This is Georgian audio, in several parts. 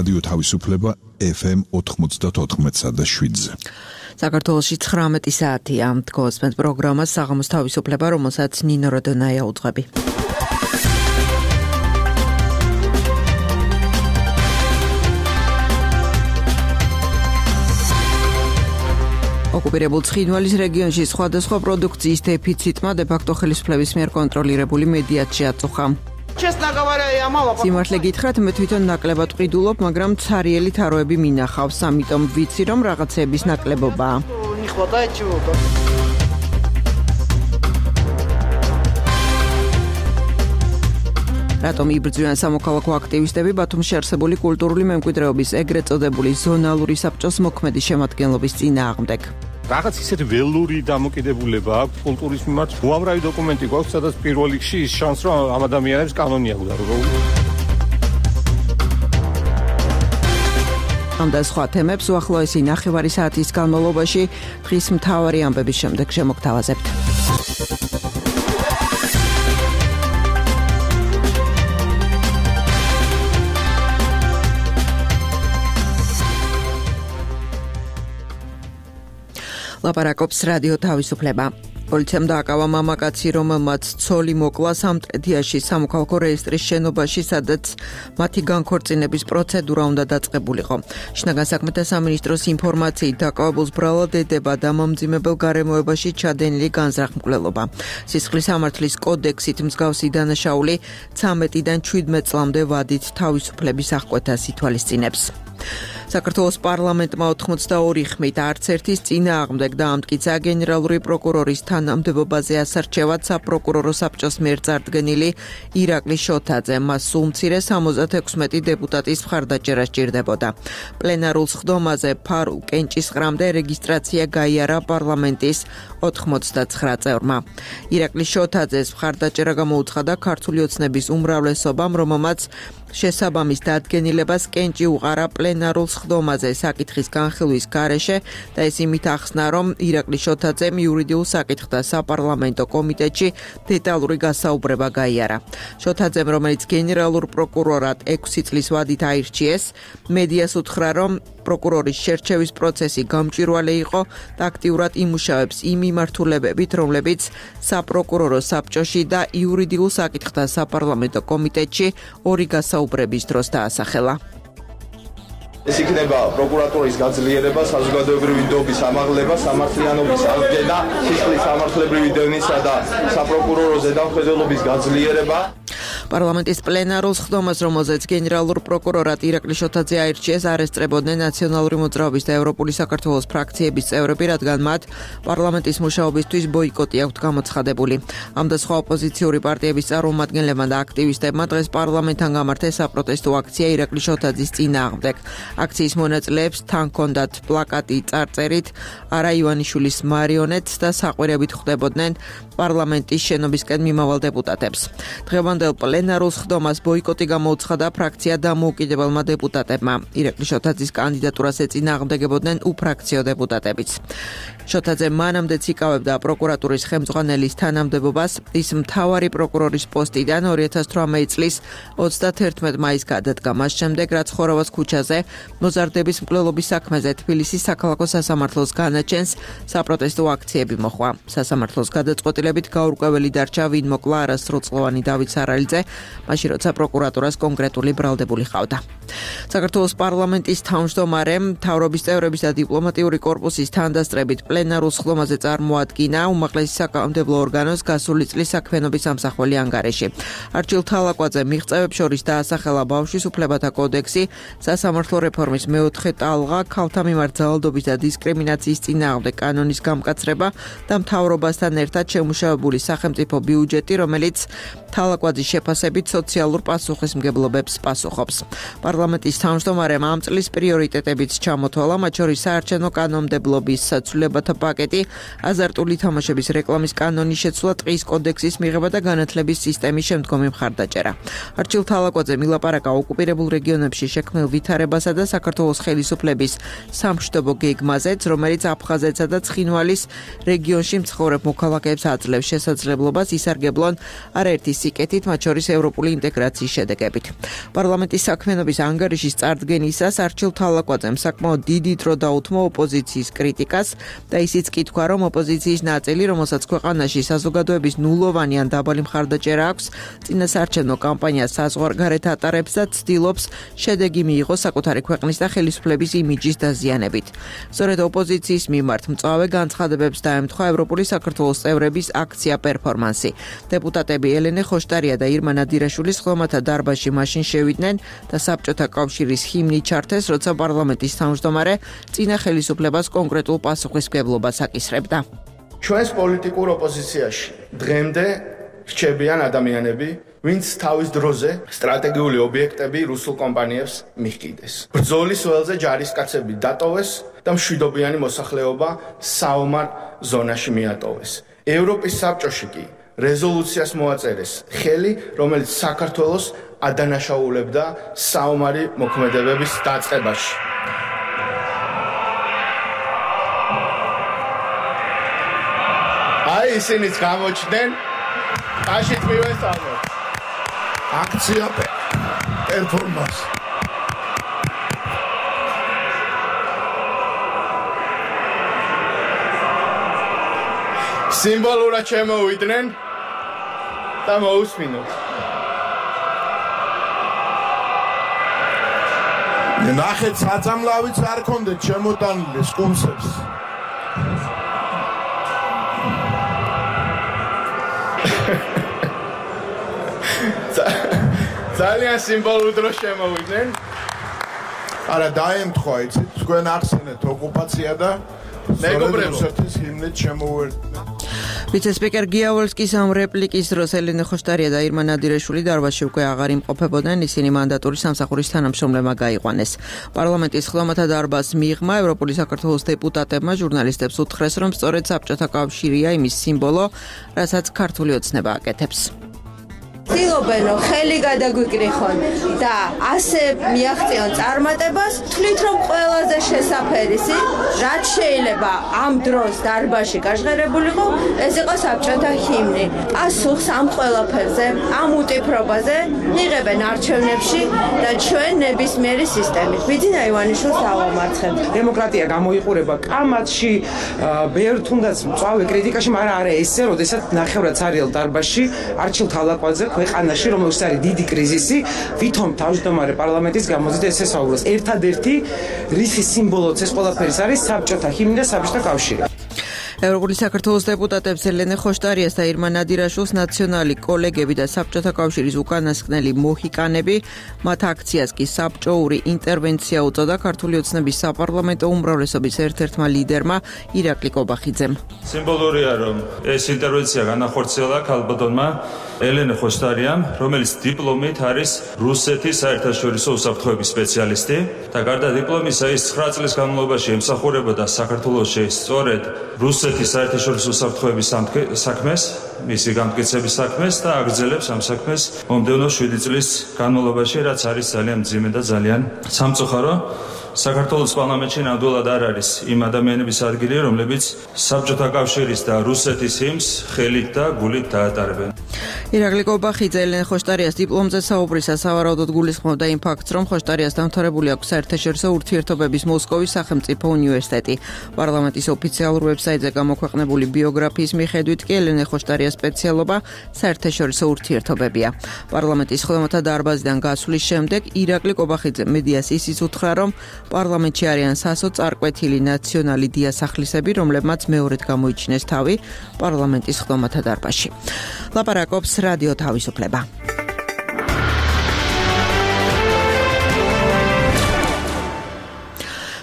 რადიო თავისუფლება FM 94.7-ზე. საქართველოში 19 საათია. გოსმენთ პროგრამას საღამოს თავისუფლება, რომელსაც ნინო როდონაია უძღვები. ოკუპირებულ ცხინვალის რეგიონში სხვადასხვა პროდუქციის დეფიციტმა დე-ფაქტო ხელისუფლების მიერ კონტროლირებული მედიაც შეაწუხა. სიმართლე გითხრათ, მე თვითონ ნაკლებად ვყიდულობ, მაგრამ ცარიელი თაროები მინახავს, ამიტომ ვიცი, რომ რაღაცების ნაკლებობაა. რატომ იბრძვიან სამოქალაქო აქტივისტები ბათუმში არსებული კულტურული მემკვიდრეობის ეგრეთ წოდებული ზონალური საბჭოს მოქმედი შემადგენლობის წინააღმდეგ? რაღაც ისეთი ველური დამოკიდებულება აქვს კულტურის მიმართ. უამრავი დოკუმენტი გვაქვს, სადაც პირველ რიგში ის შანსი, რომ ამ ადამიანებს კანონი აქვს დარღვეული. ამ და სხვა თემებს უახლოესი ნახევარი საათის განმავლობაში დღის მთავარი ამბების შემდეგ შემოგთავაზებთ. ლაპარაკობს რადიო თავისუფლება. პოლიციამ დააკავა მამაკაცი, რომელმაც ცოლი მოკლა სამტრედიაში სამოქალაქო რეესტრის შენობაში, სადაც მათი განქორწინების პროცედურა უნდა დაწყებულიყო. შინაგან საქმეთა სამინისტროს ინფორმაციით დაკავებულს ბრალად ედება დამამძიმებელ გარემოებაში ჩადენილი განზრახმკვლელობა. სისხლის სამართლის კოდექსით მსგავსი დანაშაული 13-დან 17 წლამდე ვადით თავისუფლების აღკვეთას ითვალისწინებს. საქართველოს პარლამენტმა 82 ხმით არც ერთის წინააღმდეგ დაამტკიცა გენერალური პროკურორის თანამდებობაზე ასარჩევად საპროკურორო საბჭოს მიერ წარდგენილი ირაკლი შოთაძე. მას სულ მცირე 76 დეპუტატის მხარდაჭერა სჭირდებოდა. პლენარულ სხდომაზე ფარულ კენჭისყრამდე რეგისტრაცია გაიარა პარლამენტის 89 წევრმა. ირაკლი შოთაძეს მხარდაჭერა გამოუცხადა ქართული ოცნების უმრავლესობამ, რომელმაც შესაბამის დადგენილებას კენჭი უყარა პლენარულ სხდომაზე საკითხის განხილვის გარეშე და ეს იმით ახსნა, რომ ირაკლი შოთაძემ იურიდიულ საკითხთა საპარლამენტო კომიტეტში დეტალური გასაუბრება გაიარა. შოთაძემ, რომელიც გენერალურ პროკურორად 6 წლის ვადით აირჩიეს, მედიას უთხრა, რომ პროკურორის შერჩევის პროცესი გამჭვირვალე იყო და აქტიურად იმუშავებს იმ მიმართულებებით, რომლებიც საპროკურორო საბჭოში და იურიდიულ საკითხთა საპარლამენტო კომიტეტში ორი გასაუბრების დროს დაასახელა. ეს იქნება პროკურატურის გაძლიერება, საზოგადოებრივი დობის ამაღლება, სამართლიანობის აღდგენა, სისხლის სამართლებრივი დევნისა და საპროკურორო ზედამხედველობის გაძლიერება. პარლამენტის პლენარულ სხდომას, რომელზეც გენერალურ პროკურორად ირაკლი შოთაძე აირჩიეს, არ ესწრებოდნენ ნაციონალური მოძრაობის და ევროპული საქართველოს ფრაქციების წევრები, რადგან მათ პარლამენტის მუშაობისთვის ბოიკოტი აქვთ გამოცხადებული. ამ და სხვა ოპოზიციური პარტიების წარმომადგენლებმა და აქტივისტებმა დღეს პარლამენტთან გამართეს საპროტესტო აქცია ირაკლი შოთაძის წინააღმდეგ. აქციის მონაწილეებს თან ჰქონდათ პლაკატი წარწერით არა ივანიშვილის მარიონეტს და საყვირებით ხვდებოდნენ პარლამენტის შენობისკენ მიმავალ დეპუტატებს. დღევანდელ პლენარულ სხდომას ბოიკოტი გამოუცხადა ფრაქცია დამოუკიდებელმა დეპუტატებმა. ირაკლი შოთაძის კანდიდატურას ეწინააღმდეგებოდნენ უფრაქციო დეპუტატებიც. შოთაძე მანამდეც იკავებდა პროკურატურის ხელმძღვანელის თანამდებობას. ის მთავარი პროკურორის პოსტიდან 2018 წლის 31 მაისს გადადგა. მას შემდეგ, რაც ხორავას ქუჩაზე მოზარდების მკვლელობის საქმეზე თბილისის საქალაქო სასამართლოს განაჩენს საპროტესტო აქციები მოხვა. სასამართლოს გადაწყვეტილებით გაურკვეველი დარჩა, ვინ მოკლა არასრულწლოვანი დავით სარალიძე, მაშინ როცა პროკურატურას კონკრეტული ბრალდებული ჰყავდა. საქართველოს პარლამენტის თავმჯდომარემ მთავრობის წევრების და დიპლომატიური კორპუსის თანდასწრებით პლენარულ სხდომაზე წარმოადგინა უმაღლესი საკანონმდებლო ორგანოს გასული წლის საქმიანობის ამსახველი ანგარიში. არჩილ თალაკვაძე მიღწევებს შორის დაასახელა ბავშვის უფლებათა კოდექსი, სასამართლო რეფორმის მეოთხე ტალღა, ქალთა მიმართ ძალადობის და დისკრიმინაციის წინააღმდეგ კანონის გამკაცრება და მთავრობასთან ერთად შემუშავებული სახელმწიფო ბიუჯეტი, რომელიც თალაკვაძის შეფასებით სოციალურ პასუხისმგებლობებს პასუხობს. პარლამენტის თავმჯდომარემ ამ წლის პრიორიტეტებიც ჩამოთვალა, მათ შორის საარჩევნო კანონმდებლობის, საცვლელებათა შრომათა პაკეტი, აზარტული თამაშების რეკლამის კანონის შეცვლა, ტყის კოდექსის მიღება და განათლების სისტემის შემდგომი მხარდაჭერა. არჩილ თალაკვაძე მილაპარაკა ოკუპირებულ რეგიონებში შექმნილ ვითარებასა და საქართველოს ხელისუფლების სამშვიდობო გეგმაზეც, რომელიც აფხაზეთსა და ცხინვალის რეგიონში მცხოვრებ მოქალაქეებს აძლევს შესაძლებლობას ისარგებლონ არაერთი სიკეთით, მათ შორის ევროპული ინტეგრაციის შედეგებით. პარლამენტის საქმიანობის ანგარიშის წარდგენისას არჩილ თალაკვაძემ საკმაოდ დიდი დრო დაუთმო ოპოზიციის კრიტიკას და ისიც კი თქვა, რომ ოპოზიციის ნაწილი, რომელსაც ქვეყანაში საზოგადოების ნულოვანი ან დაბალი მხარდაჭერა აქვს, წინასაარჩევნო კამპანიას საზღვარგარეთ ატარებს და ცდილობს შედეგი მიიღოს საკუთარი ქვეყნის და ხელისუფლების იმიჯის დაზიანებით. სწორედ ოპოზიციის მიმართ მწვავე განცხადებებს დაემთხვა ევროპული საქართველოს წევრების აქცია პერფორმანსი. დეპუტატები ელენე ხოშტარია და ირმა ნადირაშვილის ხლომათა დარბაზში მაშინ შევიდნენ და საბჭოთა კავშირის ჰიმნი ჩართეს, როცა პარლამენტის თავმჯდომარე წინა ხელისუფლებას კონკრეტულ პასუხისმგებლობას აკისრებდა. ჩვენს პოლიტიკურ ოპოზიციაში დღემდე რჩებიან ადამიანები, ვინც თავის დროზე სტრატეგიული ობიექტები რუსულ კომპანიებს მიჰკიდეს. ბრძოლის ველზე ჯარისკაცები დატოვეს და მშვიდობიანი მოსახლეობა საომარ ზონაში მიატოვეს. ევროპის საბჭოში კი რეზოლუციას მოაწერეს ხელი, რომელიც საქართველოს ადანაშაულებდა საომარი მოქმედებების დაწყებაში. აი ისინიც გამოჩნდნენ, აშიც მივესალმოთ. აქცია პერფორმანსი. სიმბოლურად შემოვიდნენ და მოусმინოთ. ნახეთ, საწამლავიც არ ქონდეთ შემოტანილი სკუმსებს. ძალიან სიმბოლურ დროს შემოვიდნენ. არა, დაემთხვა, იცით, თქვენ ახსენეთ ოკუპაცია და რუსეთის ჰიმნით შემოვერდნენ. ვიცე-სპიკერ გიავალსკის ამ რეპლიკის დროს ელენე ხოშტარია და ირმა ნადირაშვილი დარბაზში უკვე აღარ იმყოფებოდნენ, ისინი მანდატური სამსახურის თანამშრომლებმა გაიყვანეს. პარლამენტის ხლომათა დარბაზს მიღმა ევროპული საქართველოს დეპუტატებმა ჟურნალისტებს უთხრეს, რომ სწორედ საბჭოთა კავშირია იმის სიმბოლო, რასაც ქართული ოცნება აკეთებს. ცდილობენ ხელი გადაგვიკრიხონ და ასე მიაღწიონ წარმატებას, თვლით რომ ყველაზე შესაფერისი, რაც შეიძლება ამ დროს დარბაზში გაჟღერებულიყო, ეს იყო საბჭოთა ჰიმნი. პასუხს ამ ყველაფერზე, ამ უტიფრობაზე იღებენ არჩევნებში და ჩვენ ნებისმიერი სისტემით. ბიძინა ივანიშვილს დავამარცხებთ. დემოკრატია გამოიყურება კამათში, ბევრ თუნდაც მწვავე კრიტიკაში, მაგრამ არა ესე, როდესაც ნახევრად ცარიელ დარბაზში არჩილ თალაკვაძე ქვეყანაში, რომელშიც არის დიდი კრიზისი, ვითომ თავმჯდომარე პარლამენტის გამოზიდ ეს ესაუბროს. ერთადერთი რისის სიმბოლოც ეს ყველაფერის არის საბჭოთა ჰიმნი და საბჭოთა კავშირი. ევროპული საქართველოს დეპუტატებს ელენე ხოშტარიას და ირმა ნადირაშვილს ნაციონალი კოლეგები და საბჭოთა კავშირის უკანასკნელი მოჰიკანები, მათ აქციას კი საბჭოური ინტერვენცია უწოდა ქართული ოცნების საპარლამენტო უმრავლესობის ერთ-ერთმა ლიდერმა ირაკლი კობახიძემ. სიმბოლურია, რომ ეს ინტერვენცია განახორციელა ქალბატონმა ელენე ხოშტარიამ, რომელიც დიპლომით არის რუსეთის საერთაშორისო უსაფრთხოების სპეციალისტი და გარდა დიპლომისა ის 9 წლის განმავლობაში ემსახურებოდა საქართველოში სწორედ რუსეთის საერთაშორისო უსაფრთხოების საქმეს, მისი განმტკიცების საქმეს და აგრძელებს ამ საქმეს მომდევნო 7 წლის განმავლობაში, რაც არის ძალიან მძიმე და ძალიან სამწუხარო. საქართველოს პარლამენტში ნამდვილად არ არის იმ ადამიანების ადგილი, რომლებიც საბჭოთა კავშირის და რუსეთის ჰიმნს ხელით და გულით დაატარებენ. ირაკლი კობახიძე ელენე ხოშტარიას დიპლომზე საუბრისას სავარაუდოდ გულისხმობდა იმ ფაქტს, რომ ხოშტარიას დამთავრებული აქვს საერთაშორისო ურთიერთობების მოსკოვის სახელმწიფო უნივერსიტეტი. პარლამენტის ოფიციალურ ვებსაიტზე გამოქვეყნებული ბიოგრაფიის მიხედვით კი ელენე ხოშტარიას სპეციალობა საერთაშორისო ურთიერთობებია. პარლამენტის ხლომათა დარბაზიდან გასვლის შემდეგ ირაკლი კობახიძე მედიას ისიც უთხრა, რომ პარლამენტში არიან სასო წარკვეთილი ნაციონალი დიასახლისები, რომლებმაც მეორედ გამოიჩინეს თავი პარლამენტის ხლომათა დარბაზში. ლაპარაკობს რადიო თავისუფლება.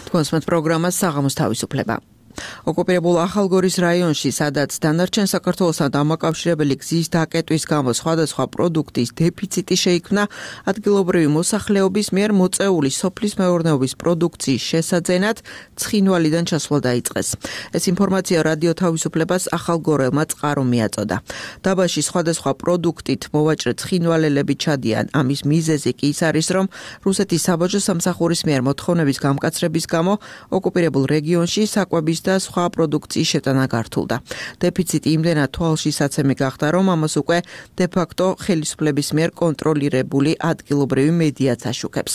თქვენს პროგრამას საღამოს თავისუფლება. ოკუპირებულ ახალგორის რაიონში, სადაც დანარჩენ საქართველოსთან დამაკავშირებელი გზის დაკეტვის გამო სხვადასხვა პროდუქტის დეფიციტი შეიქმნა, ადგილობრივი მოსახლეობის მიერ მოწეული სოფლის მეურნეობის პროდუქციის შესაძენად ცხინვალიდან ჩასვლა დაიწყეს. ეს ინფორმაცია რადიო თავისუფლებას ახალგორელმა წყარო მიაწოდა. დაბაში სხვადასხვა პროდუქტით მოვაჭრე ცხინვალელები ჩადიან. ამის მიზეზი კი ის არის, რომ რუსეთის საბაჟო სამსახურის მიერ მოთხოვნების გამკაცრების გამო ოკუპირებულ რეგიონში საკვების და სხვა პროდუქციის შეტანა გართულდა. დეფიციტი იმდენად თვალშისაცემი გახდა, რომ ამას უკვე დე-ფაქტო ხელისუფლების მიერ კონტროლირებული ადგილობრივი მედიაც აშუქებს.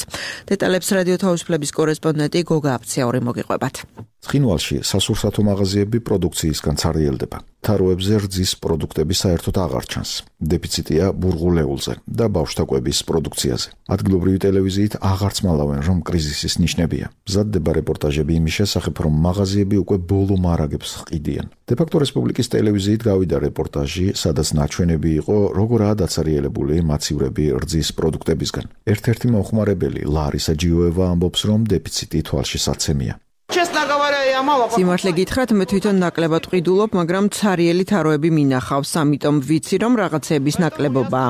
დეტალებს რადიო თავისუფლების კორესპონდენტი გოგა აფციური მოგიყვებათ. ცხინვალში სასურსათო მაღაზიები პროდუქციისგან ცარიელდება. თაროებზე რძის პროდუქტები საერთოდ აღარ ჩანს. დეფიციტია ბურღულეულზე და ბავშვთა კვების პროდუქციაზე. ადგილობრივი ტელევიზიით აღარც მალავენ, რომ კრიზისის ნიშნებია. მზადდება რეპორტაჟები იმის შესახებ, რომ მაღაზიები უკვე ბოლო მარაგებს ჰყიდიან. დე-ფაქტო რესპუბლიკის ტელევიზიით გავიდა რეპორტაჟი, სადაც ნაჩვენები იყო, როგორაა დაცარიელებული მაცივრები რძის პროდუქტებისგან. ერთ-ერთი მომხმარებელი ლარისა ჯიოევა ამბობს, რომ დეფიციტი თვალშისაცემია. სიმართლე გითხრათ, მე თვითონ ნაკლებად ვყიდულობ, მაგრამ ცარიელი თაროები მინახავს, ამიტომ ვიცი, რომ რაღაცების ნაკლებობაა.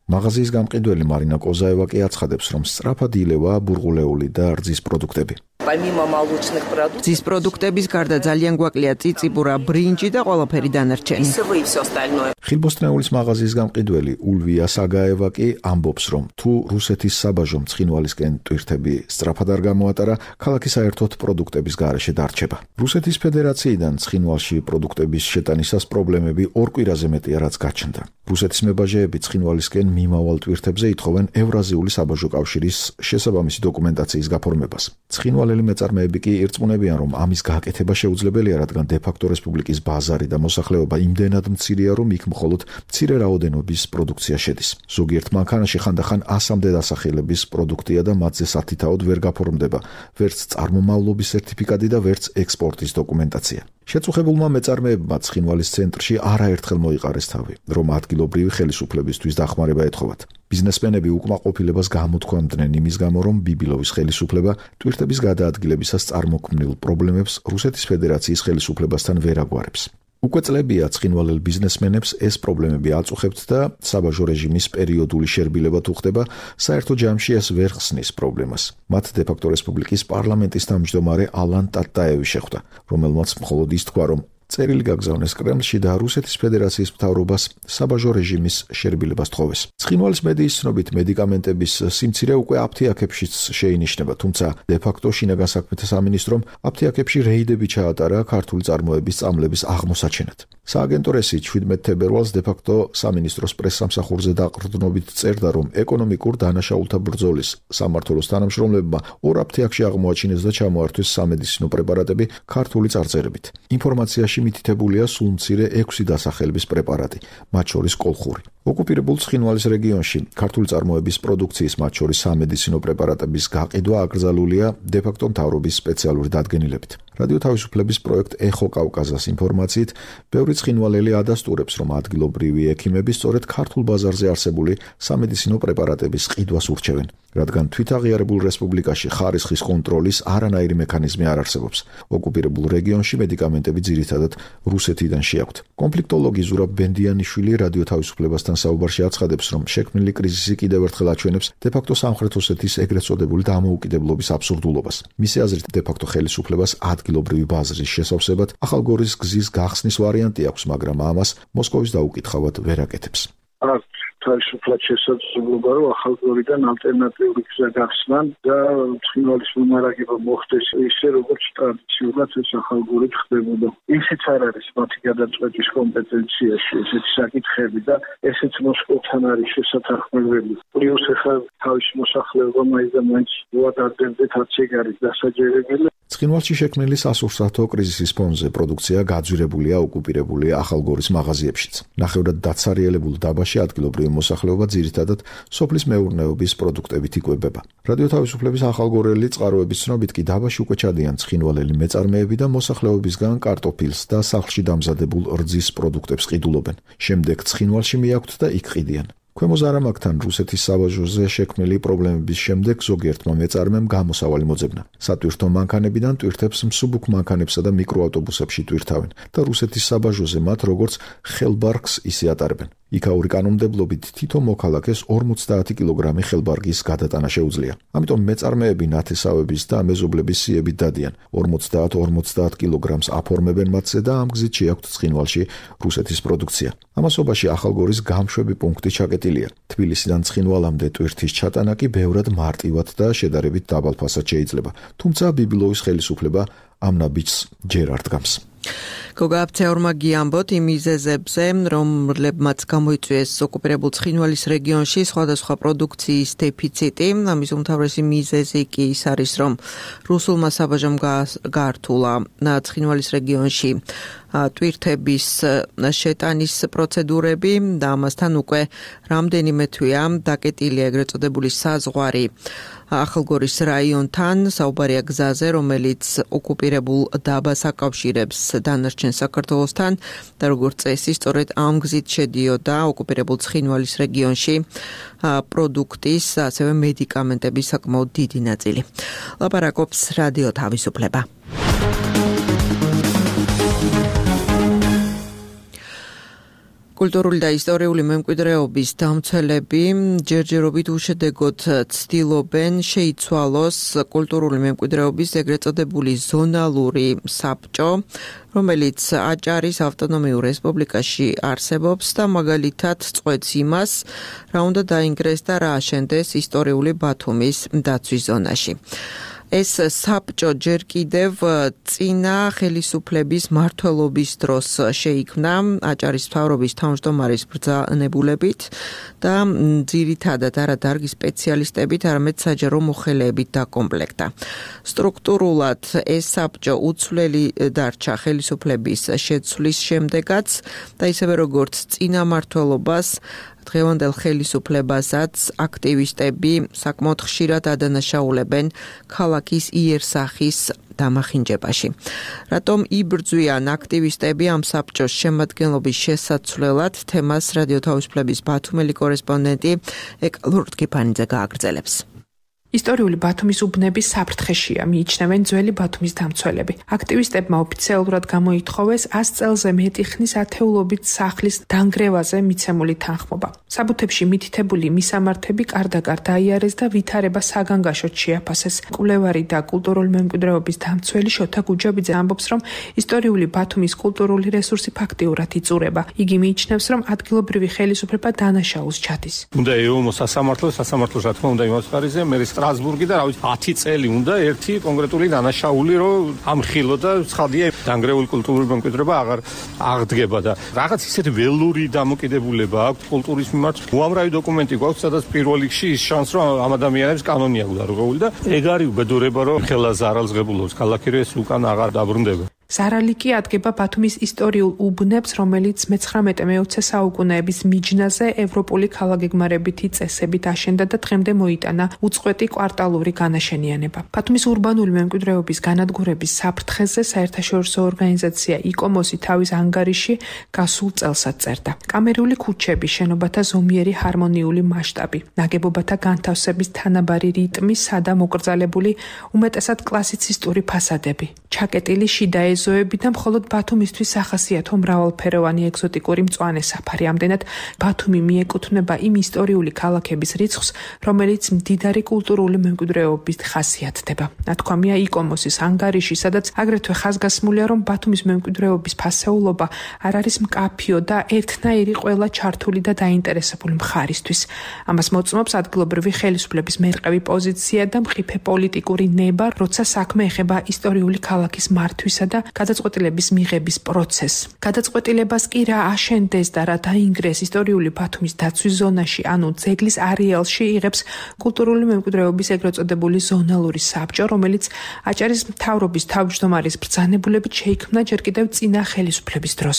მაღაზიის გამყიდველი მარინა კოზაევა კი აცხადებს, რომ სწრაფად ილევა ბურღულეული და რძის პროდუქტები. რძის პროდუქტების გარდა ძალიან გვაკლია წიწიბურა, ბრინჯი და ყველაფერი დანარჩენი. ხილბოსტნეულის მაღაზიის გამყიდველი ულვია საგაევა კი ამბობს, რომ თუ რუსეთის საბაჟომ ცხინვალისკენ ტვირთები სწრაფად არ გამოატარა, ქალაქი საერთოდ პროდუქტების გარეშე დარჩება. რუსეთის ფედერაციიდან ცხინვალში პროდუქტების შეტანისას პრობლემები ორ კვირაზე მეტია, რაც გაჩნდა. რუსეთის მებაჟეები ცხინვალისკენ მიმავალ ტვირთებზე ითხოვენ ევრაზიული საბაჟო კავშირის შესაბამისი დოკუმენტაციის გაფორმებას. ცხინვალელი მეწარმეები კი ირწმუნებიან, რომ ამის გაკეთება შეუძლებელია, რადგან დე-ფაქტო რესპუბლიკის ბაზარი და მოსახლეობა იმდენად მცირეა, რომ იქ მხოლოდ მცირე რაოდენობის პროდუქცია შედის. ზოგიერთ მანქანაში ხანდახან 100-მდე დასახელების პროდუქტია და მათზე სათითაოდ ვერ გაფორმდება, ვერც წარმომავლობის სერტიფიკატი და ვერც ექსპორტის დოკუმენტაცია. შეწუხებულმა მეწარმეებმა ცხინვალის ცენტრში არაერთხელ მოიყარეს თავი, რომ ადგილობრივი ხელისუფლებისთვის დახმარება ეთხოვათ. ბიზნესმენები უკმაყოფილებას გამოთქვამდნენ იმის გამო, რომ ბიბილოვის ხელისუფლება ტვირთების გადაადგილებისას წარმოქმნილ პრობლემებს რუსეთის ფედერაციის ხელისუფლებასთან ვერ აგვარებს. უკვე წლებია ცხინვალელ ბიზნესმენებს ეს პრობლემები აწუხებთ და საბაჟო რეჟიმის პერიოდული შერბილება თუ ხდება, საერთო ჯამში ეს ვერ ხსნის პრობლემას. მათ დე-ფაქტო რესპუბლიკის პარლამენტის თავმჯდომარე ალან ტატაევი შეხვდა, რომელმაც მხოლოდ ის თქვა, რომ წერილი გაგზავნეს კრემლში და რუსეთის ფედერაციის მთავრობას საბაჟო რეჟიმის შერბილებას თხოვეს. ცხინვალის მედიის ცნობით მედიკამენტების სიმცირე უკვე აფთიაქებშიც შეინიშნება, თუმცა დე-ფაქტო შინაგან საქმეთა სამინისტრომ აფთიაქებში რეიდები ჩაატარა ქართული წარმოების წამლების აღმოსაჩენად. სააგენტო რესი 17 თებერვალს დე-ფაქტო სამინისტროს პრესსამსახურზე დაყრდნობით წერდა, რომ ეკონომიკურ დანაშაულთა ბრძოლის სამმართველოს თანამშრომლებმა ორ აფთიაქში აღმოაჩინეს და ჩამოართვეს სამედიცინო პრეპარატები ქართული წარწერებით. ინფორმაციაში მითითებულია სულ მცირე 6 დასახელების პრეპარატი, მათ შორის კოლხური. ოკუპირებულ ცხინვალის რეგიონში ქართული წარმოების პროდუქციის, მათ შორის სამედიცინო პრეპარატების გაყიდვა აკრძალულია დე-ფაქტო მთავრობის სპეციალური დადგენილებით. რადიო თავისუფლების პროექტ ეხო კავკაზას ინფორმაციით, ბევრი ცხინვალელი ადასტურებს, რომ ადგილობრივი ექიმები სწორედ ქართულ ბაზარზე არსებული სამედიცინო პრეპარატების ყიდვას ურჩევენ, რადგან თვითაღიარებულ რესპუბლიკაში ხარისხის კონტროლის არანაირი მექანიზმი არ არსებობს. ოკუპირებულ რეგიონში მედიკამენტები ძირითადად რუსეთიდან შეაქვთ. კონფლიქტოლოგი ზურაბ ბენდიანიშვილი რადიო თავისუფლებასთან საუბარში აცხადებს, რომ შექმნილი კრიზისი კიდევ ერთხელ აჩვენებს დე-ფაქტო სამხრეთ ოსეთის ეგრეთ წოდებული დამოუკიდებლობის აბსურდულობას. მისი აზრით, დე-ფაქტო ხელისუფლებას ადგილობრივი ბაზრის შესავსებად ახალგორის გზის გახსნის ვარიანტი აქვს, მაგრამ ამას მოსკოვის დაუკითხავად ვერ აკეთებს. თავისუფლად შესაძლებლობა, რომ ახალგორიდან ალტერნატიული გზა გახსნან და ცხინვალის მომარაგება მოხდეს ისე, როგორც ტრადიციულად ეს ახალგორით ხდებოდა. ისიც არ არის მათი გადაწყვეტის კომპეტენციაში ესეთი საკითხები და ესეც მოსკოვთან არის შესათანხმებელი. პლუს ახლა თავის მოსახლეობა მაინც და მაინც მოადარდებდეთ აცეგარის დასაჯერებელი. ცხინვალში შექმნილი სასურსათო კრიზისის ფონზე პროდუქცია გაძვირებულია ოკუპირებული ახალგორის მაღაზიებშიც. ნახევრად დაცარიელებულ დაბაში ადგილობრივი მოსახლეობა ძირითადად სოფლის მეურნეობის პროდუქტებით იკვებება. რადიო თავისუფლების ახალგორელი წყაროების ცნობით კი დაბაში უკვე ჩადიან ცხინვალელი მეწარმეები და მოსახლეობისგან კარტოფილს და სახლში დამზადებულ რძის პროდუქტებს ყიდულობენ. შემდეგ ცხინვალში მიაქვთ და იქ ყიდიან. ქვემო ზარამაგთან რუსეთის საბაჟოზე შექმნილი პრობლემების შემდეგ ზოგიერთმა მეწარმემ გამოსავალი მოძებნა. სატვირთო მანქანებიდან ტვირთებს მსუბუქ მანქანებსა და მიკროავტობუსებში ტვირთავენ და რუსეთის საბაჟოზე მათ როგორც ხელბარგს ისე ატარებენ. იქაური კანონმდებლობით თითო მოქალაქეს 50 კილოგრამი ხელბარგის გადატანა შეუძლია. ამიტომ მეწარმეები ნათესავების და მეზობლების სიებით დადიან 50 კილოგრამს აფორმებენ მათზე და ამ გზით შეაქვთ ცხინვალში რუსეთის პროდუქცია. ამასობაში ახალგორის გამშვები პუნქტი ჩაკეტილია. თბილისიდან ცხინვალამდე ტვირთის ჩატანა კი ბევრად მარტივად და შედარებით დაბალ ფასად შეიძლება. თუმცა ბიბილოვის ხელისუფლება ამ ნაბიჯს ჯერ არ დგამს. გოგაფცეორმა გიამბოთ იმ მიზეზებზე, რომლებმაც გამოიწვიეს ოკუპირებულ ცხინვალის რეგიონში სხვადასხვა პროდუქციის დეფიციტი. ამის უმთავრესი მიზეზი კი ის არის, რომ რუსულმა საბაჟომ გაართულა ცხინვალის რეგიონში ტვირთების შეტანის პროცედურები და ამასთან უკვე რამდენიმე თვეა დაკეტილია ეგრეთ წოდებული საზღვარი ახალგორის რაიონთან, საუბარია გზაზე, რომელიც ოკუპირებულ დაბას აკავშირებს დანარჩენ საქართველოსთან და როგორც წესი, სწორედ ამ გზით შედიოდა ოკუპირებულ ცხინვალის რეგიონში პროდუქტის, ასევე მედიკამენტების საკმაოდ დიდი ნაწილი. ლაპარაკობს რადიო თავისუფლება. კულტურული და ისტორიული მემკვიდრეობის დამცველები ჯერჯერობით უშედეგოდ ცდილობენ შეიცვალოს კულტურული მემკვიდრეობის ეგრეთ წოდებული ზონალური საბჭო, რომელიც აჭარის ავტონომიურ რესპუბლიკაში არსებობს და მაგალითად წყვეტს იმას, რა უნდა დაინგრეს და რა აშენდეს ისტორიული ბათუმის დაცვის ზონაში. ეს საბჭო ჯერ კიდევ წინა ხელისუფლების მმართველობის დროს შეიქმნა აჭარის მთავრობის თავმჯდომარის ბრძანებულებით და ძირითადად არა დარგის სპეციალისტებით, არამედ საჯარო მოხელეებით დაკომპლექტდა. სტრუქტურულად ეს საბჭო უცვლელი დარჩა ხელისუფლების შეცვლის შემდეგაც და ისევე როგორც წინა მმართველობას დღევანდელ ხელისუფლებასაც აქტივისტები საკმაოდ ხშირად ადანაშაულებენ ქალაქის იერსახის დამახინჯებაში. რატომ იბრძვიან აქტივისტები ამ საბჭოს შემადგენლობის შესაცვლელად, თემას რადიო თავისუფლების ბათუმელი კორესპონდენტი ეკა ლურდკიფანიძე გააგრძელებს. ისტორიული ბათუმის უბნების საფრთხეშია, მიიჩნევენ ძველი ბათუმის დამცველები. აქტივისტებმა ოფიციალურად გამოითხოვეს 100 წელზე მეტი ხნის ათეულობით სახლის დანგრევაზე მიცემული თანხმობა. საბუთებში მითითებული მისამართები კარდაკარ დაიარეს და ვითარება საგანგაშოდ შეაფასეს. კვლევარი და კულტურული მემკვიდრეობის დამცველი შოთა გუჯაბიძე ამბობს, რომ ისტორიული ბათუმის კულტურული რესურსი ფაქტიურად იწურება. იგი მიიჩნევს, რომ ადგილობრივი ხელისუფლება დანაშაულს ჩადის. უნდა ეომოს სასამართლო რა თქმა უნდა იმას ხარიზე მე სტრასბურგი და 10 წელი უნდა ერთი კონკრეტული დანაშაული რომ ამხილო და ცხადია დანგრეული კულტურული მემკვიდრეობა აღარ აღდგება და რაღაც ისეთი ველური დამოკიდებულება აქვს კულტურის მიმართ. უამრავი დოკუმენტი გვაქვს, სადაც პირველ რიგში ის შანსი რომ ამ ადამიანებს კანონი აქვს დარღვეული და ეგ არის უბედურება რომ ხელა ზარალსღებულობს ქალაქი ეს უკან აღარ დაბრუნდება. ზარალი კი ადგება ბათუმის ისტორიულ უბნებს, რომელიც მე-19-მე-20 საუკუნეების მიჯნაზე ევროპული ქალაქგეგმარებითი წესებით აშენდა და დღემდე მოიტანა უწყვეტი კვარტალური განაშენიანება. ბათუმის ურბანული მემკვიდრეობის განადგურების საფრთხეზე საერთაშორისო ორგანიზაცია იკომოსი თავის ანგარიში გასულ წელსაც წერდა. კამერული ქუჩები, შენობათა ზომიერი ჰარმონიული მასშტაბი, ნაგებობათა განთავსების თანაბარი რიტმი, სადა მოკრძალებული, უმეტესად კლასიცისტური ფასადები, ჩაკეტილი შიდა ეზოები და მხოლოდ ბათუმისთვის სახასიათო მრავალფეროვანი ეგზოტიკური მწვანე საფარი. ამდენად ბათუმი მიეკუთვნება იმ ისტორიული ქალაქების რიცხვს, რომელიც მდიდარი კულტურული მემკვიდრეობით ხასიათდება. ნათქვამია იკომოსის ანგარიში, სადაც აგრეთვე ხაზგასმულია, რომ ბათუმის მემკვიდრეობის ფასეულობა არ არის მკაფიო და ერთნაირი ყველა ჩართული და დაინტერესებული მხარისთვის. ამას მოწმობს ადგილობრივი ხელისუფლების მერყევი პოზიცია და მყიფე პოლიტიკური ნება, როცა საქმე ეხება ისტორიული ქალაქის მართვისა და გადაწყვეტილების მიღების პროცესს. გადაწყვეტილებას კი რა აშენდეს და რა დაინგრეს ისტორიული ბათუმის დაცვის ზონაში, ანუ ძეგლის არეალში იღებს კულტურული მემკვიდრეობის ეგრეთ წოდებული ზონალური საბჭო, რომელიც აჭარის მთავრობის თავმჯდომარის ბრძანებულებით შეიქმნა ჯერ კიდევ წინა ხელისუფლების დროს.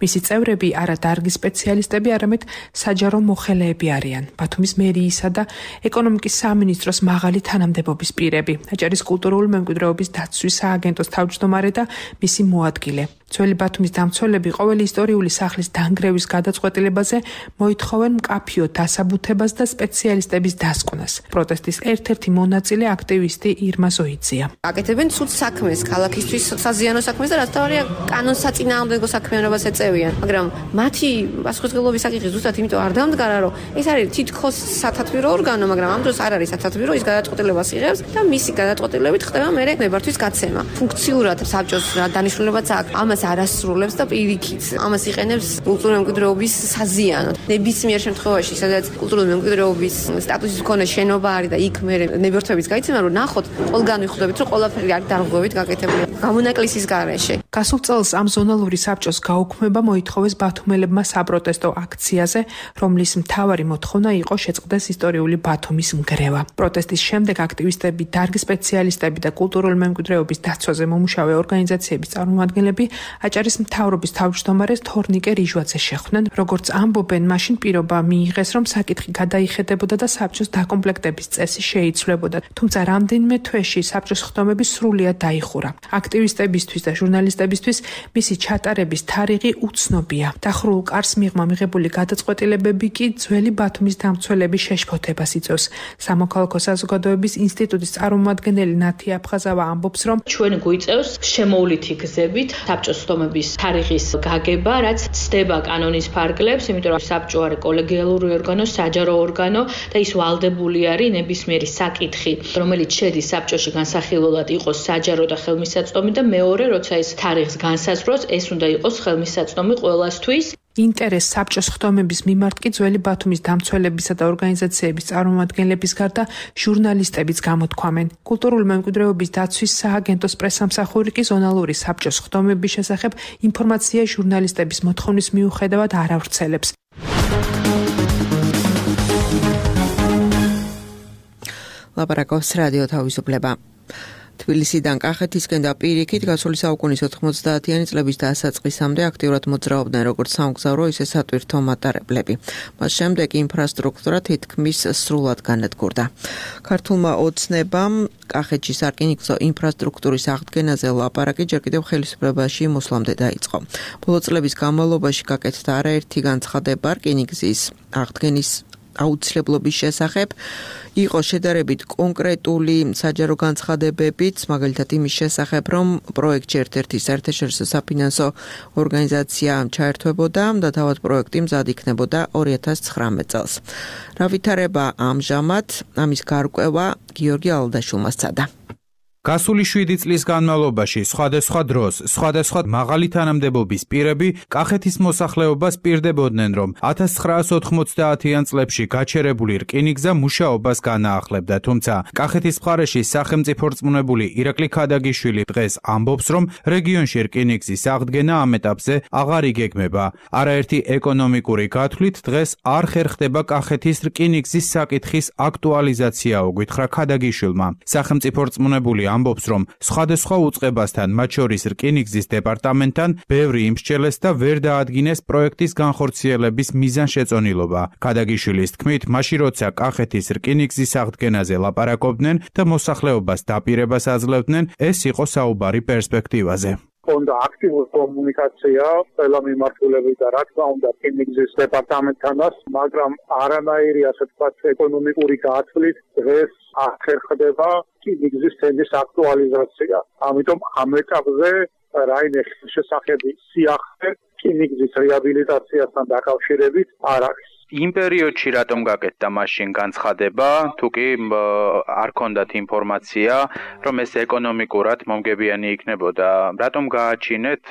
მისი წევრები არა დარგის სპეციალისტები, არამედ საჯარო მოხელეები არიან. ბათუმის მერიისა და ეკონომიკის სამინისტროს მაღალი თანამდებობის პირები, აჭარის კულტურული მემკვიდრეობის დაცვის სააგენტოს თავმჯდომარე და მისი მოადგილე. ძველი ბათუმის დამცველები ყოველი ისტორიული სახლის დანგრევის გადაწყვეტილებაზე მოითხოვენ მკაფიო დასაბუთებას და სპეციალისტების დასკვნას. პროტესტის ერთ-ერთი მონაწილე აქტივისტი ირმა ზოიძია. აკეთებენ ცუდ საქმეს, ქალაქისთვის საზიანო საქმეს და რაც თავარია კანონსაწინააღმდეგო საქმიანობას ეწევიან. მაგრამ მათი პასუხისმგებლობის საკითხი ზუსტად იმიტომ არ დამდგარა, რომ ეს არის თითქოს სათათბირო ორგანო, მაგრამ ამ დროს არ არის სათათბირო, ის გადაწყვეტილებას იღებს და მისი გადაწყვეტილებით ხდება მერე ნებართვის გაცემა. ფუნქციურად საბჭოს რა დანიშნულებაც აქვს, ამას არასრულებს და პირიქით ამას იყენებს კულტურული მემკვიდრეობის საზიანოდ. ნებისმიერ შემთხვევაში, სადაც კულტურული მემკვიდრეობის სტატუსის მქონე შენობა არის და იქ მერე ნებართვების გაიცემა, რომ ნახოთ, ყველგან ვიხვდებით, რომ ყველაფერი არის დარღვევით გაკეთებული. გამონაკლისის გარეშე. გასულ წელს ამ ზონალური საბჭოს გაუქმება მოითხოვეს ბათუმელებმა საპროტესტო აქციაზე, რომლის მთავარი მოთხოვნა იყო შეწყდეს ისტორიული ბათუმის მგრევა. პროტესტის შემდეგ აქტივისტები, დარგის სპეციალისტები და კულტურული მემკვიდრეობის დაცვაზე მომუშავე ორგანიზაციების წარმომადგენლები აჭარის მთავრობის თავმჯდომარეს თორნიკე რიჟვაძეს შეხვდნენ. როგორც ამბობენ, მაშინ პირობა მიიღეს, რომ საკითხი გადაიხედებოდა და საბჭოს დაკომპლექტების წესი შეიცვლებოდა. თუმცა რამდენიმე თვეში საბჭოს ხდომები სრულიად დაიხურა. აქტივისტებისთვის და ჟურნალისტებისთვის მისი ჩატარების თარიღი უცნობია. დახურულ კარს მიღმა მიღებული გადაწყვეტილებები კი ძველი ბათუმის დამცველების შეშფოთებას იწვევს. სამოქალაქო საზოგადოების ინსტიტუტის წარმომადგენელი ნათი აფხაზავა ამბობს, რომ ჩვენ გვიწევს შემოვლითი გზებით საბჭოს ხდომების თარიღის გაგება, რაც ცდება კანონის ფარგლებს, იმიტომ რომ საბჭო არის კოლეგიალური ორგანო, საჯარო ორგანო და ის ვალდებული არის ნებისმიერი საკითხი, რომელიც შედის საბჭოში განსახილველად იყოს საჯარო და ხელმისაწვდომი და მეორე, როცა ეს თარიღს განსაზღვროს, ეს უნდა იყოს ხელმისაწვდომი ყველასთვის. ინტერესს საბჭოს ხდომების მიმართ კი ძველი ბათუმის დამცველებისა და ორგანიზაციების წარმომადგენლების გარდა ჟურნალისტებიც გამოთქვამენ. კულტურული მემკვიდრეობის დაცვის სააგენტოს პრესამსახური კი ზონალური საბჭოს ხდომების შესახებ ინფორმაცია ჟურნალისტების მოთხოვნის მიუხედავად არ ავრცელებს. ლაპარაკობს რადიო თავისუფლება. თბილისიდან კახეთისკენ და პირიქით გასული საუკუნის 90-იანი წლების დასაწყისამდე აქტიურად მოძრაობდნენ როგორც სამგზავრო, ისე სატვირთო მატარებლები. მას შემდეგ ინფრასტრუქტურა თითქმის სრულად განადგურდა. ქართულმა ოცნებამ კახეთში სარკინიგზო ინფრასტრუქტურის აღდგენაზე ლაპარაკი ჯერ კიდევ ხელისუფლებაში მოსვლამდე დაიწყო. ბოლო წლების განმავლობაში გაკეთდა არაერთი განცხადება რკინიგზის აღდგენის აუცილებლობის შესახებ. იყო შედარებით კონკრეტული საჯარო განცხადებებიც, მაგალითად იმის შესახებ, რომ პროექტში ერთ-ერთი საერთაშორისო საფინანსო ორგანიზაცია ჩაერთვებოდა და თავად პროექტი მზად იქნებოდა 2019 წელს. რა ვითარება ამჟამად, ამის გარკვევა გიორგი ალდაშულმა სცადა. გასული 7 წლის განმავლობაში სხვადასხვა დროს, სხვადასხვა მაღალი თანამდებობის პირები კახეთის მოსახლეობას პირდებოდნენ, რომ 1990-იან წლებში გაჩერებული რკინიგზა მუშაობას განაახლებდა, თუმცა კახეთის მხარეში სახელმწიფო რწმუნებული ირაკლი ქადაგიშვილი დღეს ამბობს, რომ რეგიონში რკინიგზის აღდგენა ამ ეტაპზე აღარ იგეგმება. არაერთი ეკონომიკური გათვლით დღეს არ ხერხდება კახეთის რკინიგზის საკითხის აქტუალიზაცია, უგვითხრა ქადაგიშვილმა. სახელმწიფო რწმუნებული ამბობს, რომ სხვადასხვა უწყებასთან, მათ შორის რკინიგზის დეპარტამენტთან, ბევრი იმსჩელეს და ვერ დაადგინეს პროექტის განხორციელების მიზანშეწონილობა. ქადაგიშვილის თქმით, მაშინ როცა კახეთის რკინიგზის აღდგენაზე ლაპარაკობდნენ და მოსახლეობას დაპირებას აძლევდნენ, ეს იყო საუბარი პერსპექტივაზე. Onda აქტიური კომუნიკაცია ყველა მიმართულებით და რა თქმა უნდა რკინიგზის დეპარტამენტთანაც, მაგრამ არანაირი ასე ვთქვათ ეკონომიკური გათვლით დღეს არ ხერხდება რკინიგზის თემის აქტუალიზაცია. ამიტომ ამ ეტაპზე რაიმე შესახები სიახლე რკინიგზის რეაბილიტაციასთან დაკავშირებით არ არის. იმ პერიოდში რატომ გაკეთდა მაშინ განცხადება, თუ კი არ ქონდათ ინფორმაცია, რომ ეს ეკონომიკურად მომგებიანი იქნებოდა, რატომ გააჩინეთ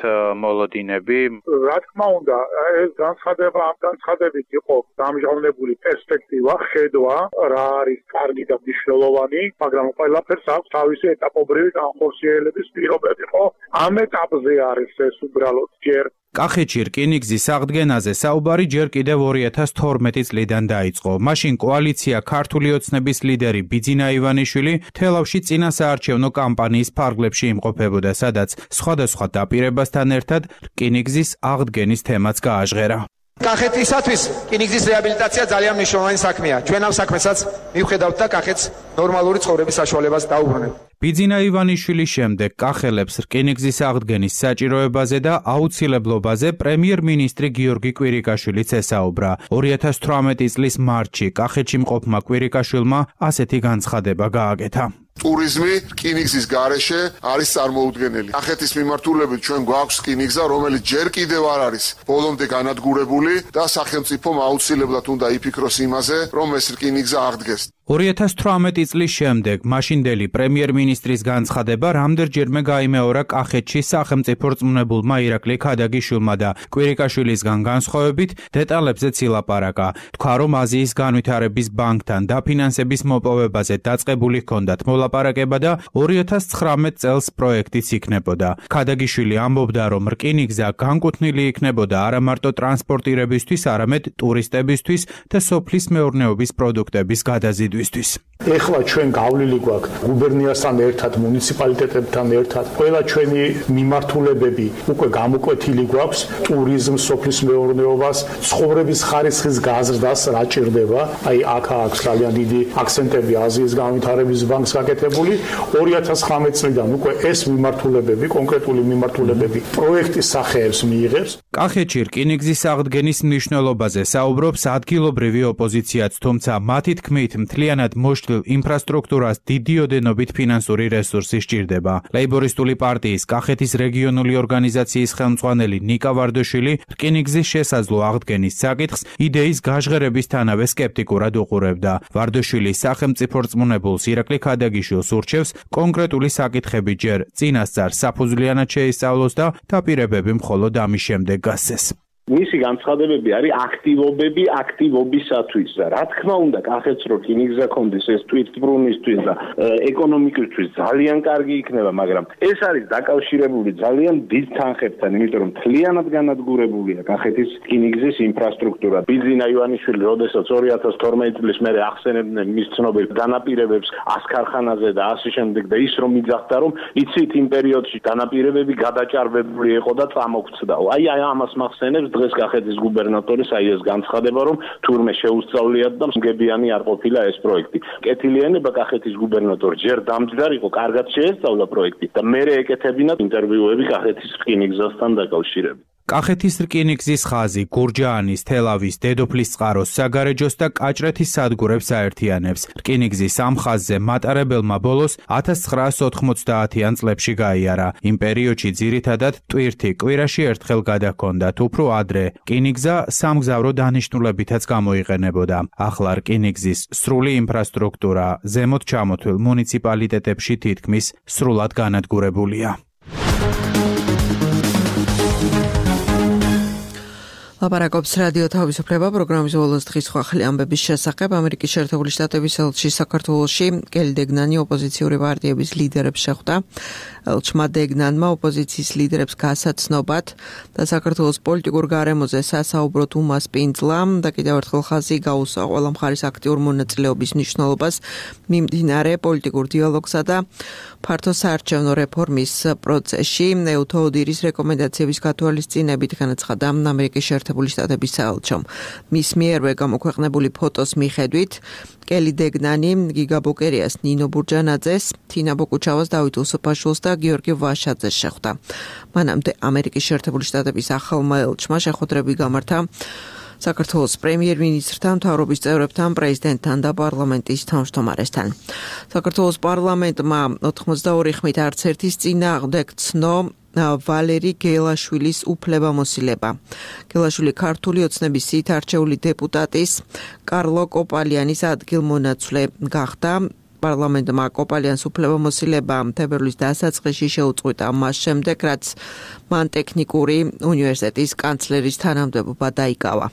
მოლოდინები? რა თქმა უნდა, ეს განცხადება ამ განცხადებით იყო დამჟღავნებული პერსპექტივა, ხედვა, რა არის კარგი და მნიშვნელოვანი, მაგრამ ყველაფერს აქვს თავისი ეტაპობრივი განხორციელების პირობები, ხო? ამ ეტაპზე არის ეს უბრალოდ ჯერ კახეთში რკინიგზის აღდგენაზე საუბარი ჯერ კიდევ 2012 წლიდან დაიწყო. მაშინ კოალიცია ქართული ოცნების ლიდერი ბიძინა ივანიშვილი თელავში წინასაარჩევნო კამპანიის ფარგლებში იმყოფებოდა, სადაც სხვადასხვა დაპირებასთან ერთად რკინიგზის აღდგენის თემაც გააჟღერა. კახეთისათვის რკინიგზის რეაბილიტაცია ძალიან მნიშვნელოვანი საქმეა. ჩვენ ამ საქმესაც მივხედავთ და კახეთს ნორმალური ცხოვრების საშუალებას დაუბრუნებთ. ბიძინა ივანიშვილის შემდეგ კახელებს რკინიგზის აღდგენის საჭიროებაზე და აუცილებლობაზე პრემიერ-მინისტრი გიორგი კვირიკაშვილიც ესაუბრა. 2018 წლის მარტში კახეთში მყოფმა კვირიკაშვილმა ასეთი განცხადება გააკეთა. ტურიზმი რკინიგზის გარეშე არის წარმოუდგენელი. კახეთის მიმართულებით ჩვენ გვაქვს რკინიგზა, რომელიც ჯერ კიდევ არ არის ბოლომდე განადგურებული და სახელმწიფომ აუცილებლად უნდა იფიქროს იმაზე, რომ ეს რკინიგზა აღდგეს. 2018 წლის შემდეგ მაშინდელი პრემიერ-მინისტრის განცხადება რამდენჯერმე გაიმეორა კახეთში სახელმწიფო რწმუნებულმა ირაკლი ქადაგიშვილმა და კვირიკაშვილისგან განსხვავებით დეტალებზეც ილაპარაკა. თქვა, რომ აზიის განვითარების ბანკთან დაფინანსების მოპოვებაზე დაწყებული ჰქონდათ მოლაპარაკება და 2019 წელს პროექტიც იქნებოდა. ქადაგიშვილი ამბობდა, რომ რკინიგზა განკუთვნილი იქნებოდა არა მარტო ტრანსპორტირებისთვის, არამედ ტურისტებისთვის და სოფლის მეურნეობის პროდუქტების გადაზიდვისთვის. ეხლა ჩვენ გავლილი გვაქვს გუბერნიასთან ერთად, მუნიციპალიტეტებთან ერთად, ყველა ჩვენი მიმართულებები უკვე გამოკვეთილი გვაქვს ტურიზმს, სოფლის მეურნეობას, ცხოვრების ხარისხის გაზრდას რა ჭირდება. აი აქ აქვს ძალიან დიდი აქცენტები აზიის განვითარების ბანკს გაკეთებული. 2019 წლიდან უკვე ეს მიმართულებები, კონკრეტული მიმართულებები პროექტის სახეებს მიიღებს. კახეთში რკინიგზის აღდგენის მნიშვნელობაზე საუბრობს ადგილობრივი ოპოზიციაც, თუმცა მათი თქმით მთლიანად მოშლილ ინფრასტრუქტურას დიდი ოდენობით ფინანსური რესურსი სჭირდება. ლეიბორისტული პარტიის კახეთის რეგიონული ორგანიზაციის ხელმძღვანელი ნიკა ვარდოშვილი რკინიგზის შესაძლო აღდგენის საკითხს იდეის გაჟღერებისთანავე სკეპტიკურად უყურებდა. ვარდოშვილი სახელმწიფო რწმუნებულს ირაკლი ქადაგიშვილს ურჩევს კონკრეტული საკითხები ჯერ წინასწარ საფუძვლიანად შეისწავლოს და დაპირებები მხოლოდ ამის შემდეგ გასცეს. მისი განცხადებები არის აქტივობები აქტივობისათვის და რა თქმა უნდა კახეთს რო რკინიგზა კონდეს ეს თვითმბრუნვისთვის და ეკონომიკისთვის ძალიან კარგი იქნება, მაგრამ ეს არის დაკავშირებული ძალიან დიდ თანხებთან, იმიტომ რომ მთლიანად განადგურებულია კახეთის რკინიგზის ინფრასტრუქტურა. ბიძინა ივანიშვილი როდესაც 2012 წლის მერე ახსენებდნენ მის ცნობილ განაპირებებს ასქარხანაზე და ასე შემდეგ და ის რომ იძახდა რომ იცით იმ პერიოდში განაპირებები გადაჭარბებული იყო და წამოგვცდაო. აი ამას მახსენებს დღეს კახეთის გუბერნატორის აი ეს განცხადება, რომ თურმე შეუსწავლიათ და მგებიანი არ ყოფილა ეს პროექტი. კეთილიანება კახეთის გუბერნატორი ჯერ დამჯდარ იყო, კარგად შეესწავლა პროექტი და მერე ეკეთებინათ ინტერვიუები კახეთის რკინიგზასთან დაკავშირებით. კახეთის რკინიგზის ხაზი გურჯაანის, თელავის, დედოფლის წყაროს, საგარეჯოს და კაჭრეთის სადგურებს აერთიანებს. რკინიგზის ამ ხაზზე მატარებელმა ბოლოს 1990-იან წლებში გაიარა. იმ პერიოდში ძირითადად ტვირთი კვირაში ერთხელ გადაჰქონდათ, უფრო ადრე რკინიგზა სამგზავრო დანიშნულებითაც გამოიყენებოდა. ახლა რკინიგზის სრული ინფრასტრუქტურა ზემოთ ჩამოთვლილ მუნიციპალიტეტებში თითქმის სრულად განადგურებულია. ლაპარაკობს რადიო თავისუფლება პროგრამის ბოლოს დღის ხვახლი ამბების შესახებ. ამერიკის შეერთებული შტატების ელჩი საქართველოში კელი დეგნანი ოპოზიციური პარტიების ლიდერებს შეხვდა. ელჩმა დეგნანმა ოპოზიციის ლიდერებს გასაცნობად და საქართველოს პოლიტიკურ გარემოზე სასაუბროდ უმასპინძლა და კიდევ ერთხელ ხაზი გაუსვა ყველა მხარის აქტიურ მონაწილეობის მნიშვნელობას მიმდინარე პოლიტიკურ დიალოგსა და ფართო საარჩევნო რეფორმის პროცესში. ეუთო ოდირის რეკომენდაციების გათვალისწინებით განაცხადა ამერიკის შეერთებული შტატების საელჩომ. მის მიერვე გამოქვეყნებული ფოტოს მიხედვით კელი დეგნანი გიგა ბოკერიას, ნინო ბურჯანაძეს, თინა ბოკუჩავას, დავით უსუფაშვილს და გიორგი ვაშაძეს შეხვდა. მანამდე ამერიკის შეერთებული შტატების ახალმა ელჩმა შეხვედრები გამართა საქართველოს პრემიერ-მინისტრთან, მთავრობის წევრებთან, პრეზიდენტთან და პარლამენტის თავმჯდომარესთან. საქართველოს პარლამენტმა 82 ხმით არც ერთის წინააღმდეგ ცნო ვალერი გელაშვილის უფლებამოსილება. გელაშვილი ქართული ოცნების სიით არჩეული დეპუტატის კარლო კოპალიანის ადგილმონაცვლე გახდა. პარლამენტმა კოპალიანს უფლებამოსილება თებერვლის დასაწყისში შეუწყვიტა მას შემდეგ, რაც მან ტექნიკური უნივერსიტეტის კანცლერის თანამდებობა დაიკავა.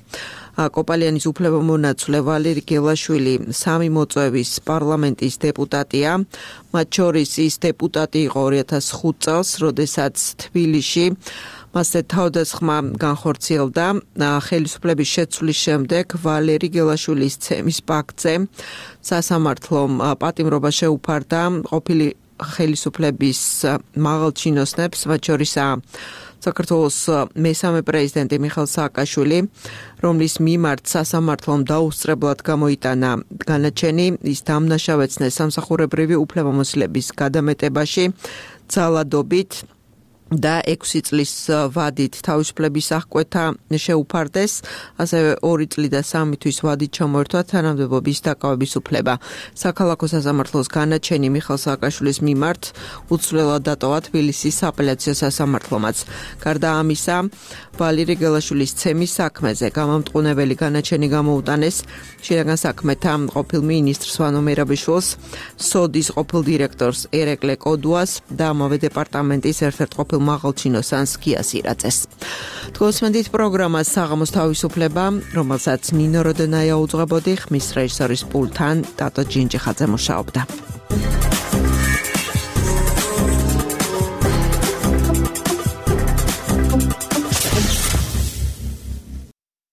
კოპალიანის უფლებამონაცვლე ვალერი გელაშვილი 3 მოწვევის პარლამენტის დეპუტატია. მათ შორის ის დეპუტატი იყო 2005 წელს, როდესაც თბილისში მასზე თავდასხმა განხორციელდა. ხელისუფლების შეცვლის შემდეგ ვალერი გელაშვილის ცემის ფაქტზე სასამართლომ პატიმრობა შეუფარდა ყოფილი ხელისუფლების მაღალჩინოსნებს, მათ შორისაა საქართველოს მესამე პრეზიდენტი მიხეილ სააკაშვილი, რომლის მიმართ სასამართლომ დაუსწრებლად გამოიტანა განაჩენი, ის დამნაშავეცნეს სამსახურებრივი უფლებამოსილების გადამეტებაში ძალადობით და 6 წლის ვადით თავისუფლების აღკვეთა შეუფარდეს, ასევე 2 წლი და 3 თვის ვადით ჩამოერთვა თანამდებობის დაკავების უფლება. საქალაქო სასამართლოს განაჩენი მიხეილ სააკაშვილის მიმართ უცვლელად დატოვა თბილისის სააპელაციო სასამართლომაც. გარდა ამისა, ვალერი გელაშვილის ცემის საქმეზე გამამტყუნებელი განაჩენი გამოუტანეს შინაგან საქმეთა ყოფილ მინისტრს ვანო მერაბიშვილს, სოდის ყოფილ დირექტორს ერეკლე კოდუას და ამავე დეპარტამენტის ერთ-ერთ ყოფილ მაღალჩინოსანს გიას ირაძეს. თქოსმენდით პროგრამას საღამოს თავისუფლება, რომელსაც ნინო როდენაია უძღვებოდი, ხმის რეჟისორის პულტთან დატო ჯინჯიხაძე მუშაობდა.